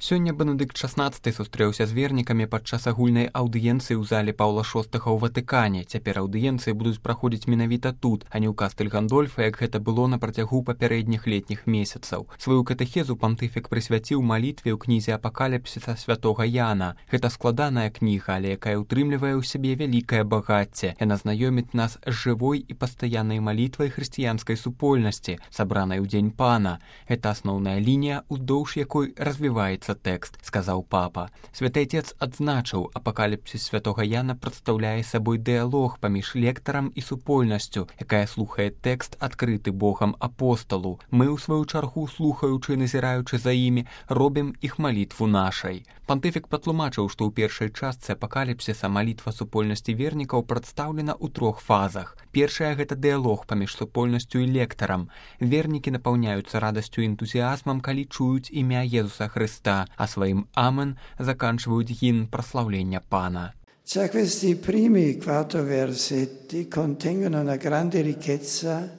Сёння Бенедыкт XVI сустрэўся з вернікамі падчас агульнай аўдыенцыі ў зале Паўла VI ў Ватыкане. Цяпер аўдыенцыі будуць праходзіць менавіта тут, а не ў Кастэль Гандольфа, як гэта было на працягу папярэдніх летніх месяцаў. Сваю катэхезу пантыфік прысвяціў малітве ў кнізе Апакаліпсіса святога Яна. Гэта складаная кніга, але якая ўтрымлівае ў сябе вялікае багацце. Яна знаёміць нас з жывой і пастаяннай малітвай хрысціянскай супольнасці, сабранай у дзень Пана. Гэта асноўная лінія, уздоўж якой развіваецца тэкст, сказаў папа. Святы Отец адзначыў, апакаліпсіс святога Яна прадстаўляе сабой дыялог паміж лектарам і супольнасцю, якая слухае тэкст, адкрыты Богам апосталу. Мы, у сваю чаргу, слухаючы і назіраючы за імі, робім іх малітву нашай. Пантыфік патлумачыў, што ў першай частцы апакаліпсіса малітва супольнасці вернікаў прадстаўлена ў 3 фазах. Першая — гэта дыялог паміж супольнасцю і лектарам. Вернікі напаўняюцца радасцю і энтузіазмам, калі чуюць імя Езуса Христа, а сваім «Амен» заканчивают гимн прославления Пана. Già questi primi 4 versetti contengono una grande ricchezza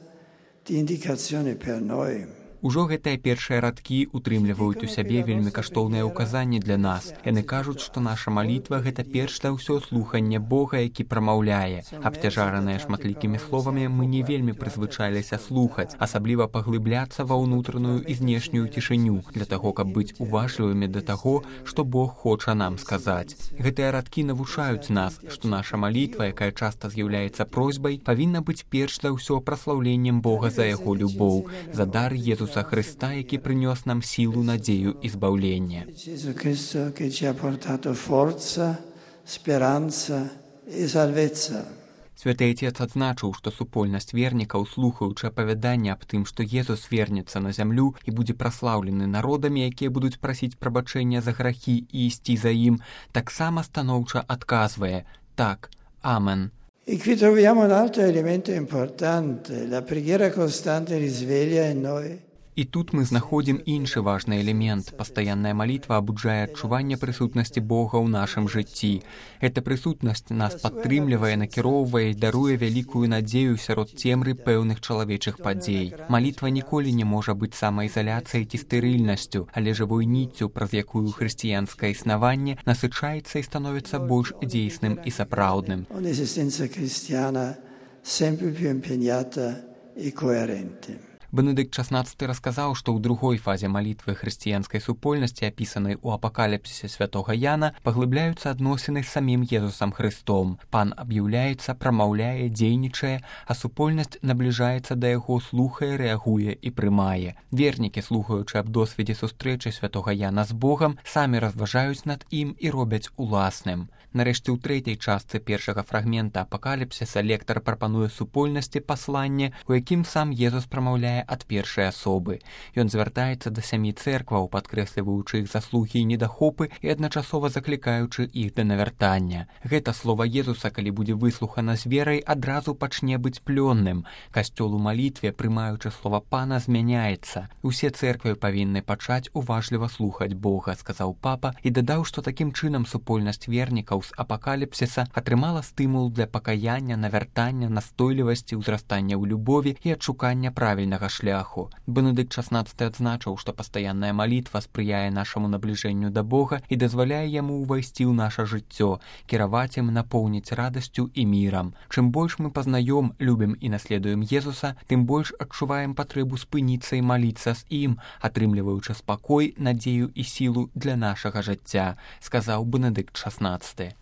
di indicazioni per noi. Ужо гэтыя першыя радкі утрымліваюць у сябе вельмі каштоўныя ўказанні для нас. Яны кажуць, што наша малітва — гэта перш за ўсё слуханне Бога, які прамаўляе. Абцяжараныя шматлікімі словамі, мы не вельмі прызвычаіліся слухаць, асабліва паглыбляцца ва ўнутраную і знешнюю цішыню, для таго, каб быць уважлівымі да таго, што Бог хоча нам сказаць. Гэтыя радкі навучаюць нас, што наша малітва, якая часта з'яўляецца просьбай, павінна быць перш за ўсё праслаўленнем Бога за яго любоў, за дар Езуса Христа, які прынёс нам сілу, надзею і збаўлення. Святы Отец адзначыў, што супольнасць вернікаў, слухаючы апавяданне аб тым, што Езус вернецца на зямлю і будзе праслаўлены народамі, якія будуць прасіць прабачэння за грахі і ісці за ім, таксама станоўча адказвае: «Так, Амен». E qui troviamo un altro elemento importante, la preghiera costante risveglia in noi. І тут мы знаходзім іншы важны элемент. Пастаянная малітва абуджае адчуванне прысутнасці Бога ў нашым жыцці. Эта прысутнасць нас падтрымлівае, накіроўвае і даруе вялікую надзею сярод цемры пэўных чалавечых падзей. Малітва ніколі не можа быць самаізаляцыяй ці стэрыльнасцю, але жывой ніццю, праз якую хрысціянскае існаванне насычаецца і становіцца больш дзейсным і сапраўдным. Un'esistenza cristiana sempre più impegnata e coerente. Бенедыкт XVI расказаў, што ў другой фазе малітвы хрысціянскай супольнасці, апісанай у апакаліпсісе святога Яна, паглыбляюцца адносіны з самім Езусам Христом. Пан аб'яўляецца, прамаўляе, дзейнічае, а супольнасць набліжаецца да яго, слухае, рэагуе і прымае. Вернікі, слухаючы аб досведзе сустрэчы святога Яна з Богам, самі разважаюць над ім і робяць уласным. Нарэшце, ў 3-й частцы першага фрагмента апакаліпсіса лектар прапануе супольнасці пасланне, у якім сам Езус прамаўляе ад першай асобы. Ён звяртаецца да 7 цэркваў, падкрэсліваючы іх заслугі і недахопы і адначасова заклікаючы іх да навяртання. Гэта слова Езуса, калі будзе выслухана з верай, адразу пачне быць плённым. Касцёл у малітве, прымаючы слова Пана, змяняецца. Усе цэрквы павінны пачаць уважліва слухаць Бога, сказаў папа, і дадаў, што такім чынам супольнасць вернікаў з апакаліпсіса атрымала стымул для пакаяння, навяртання, настойлівасці, ўзрастання ў любові і адшукання правільнага шляху. Бенедыкт XVI адзначыў, што пастаянная малітва спрыяе нашаму набліжэнню да Бога і дазваляе яму ўвайсці ў наша жыццё, кіраваць ім, напоўніць радасцю і мірам. Чым больш мы пазнаём, любім і наследуем Езуса, тым больш адчуваем патрэбу спыніцца і маліцца з ім, атрымліваючы спакой, надзею і сілу для нашага жыцця, сказаў Бенедыкт XVI.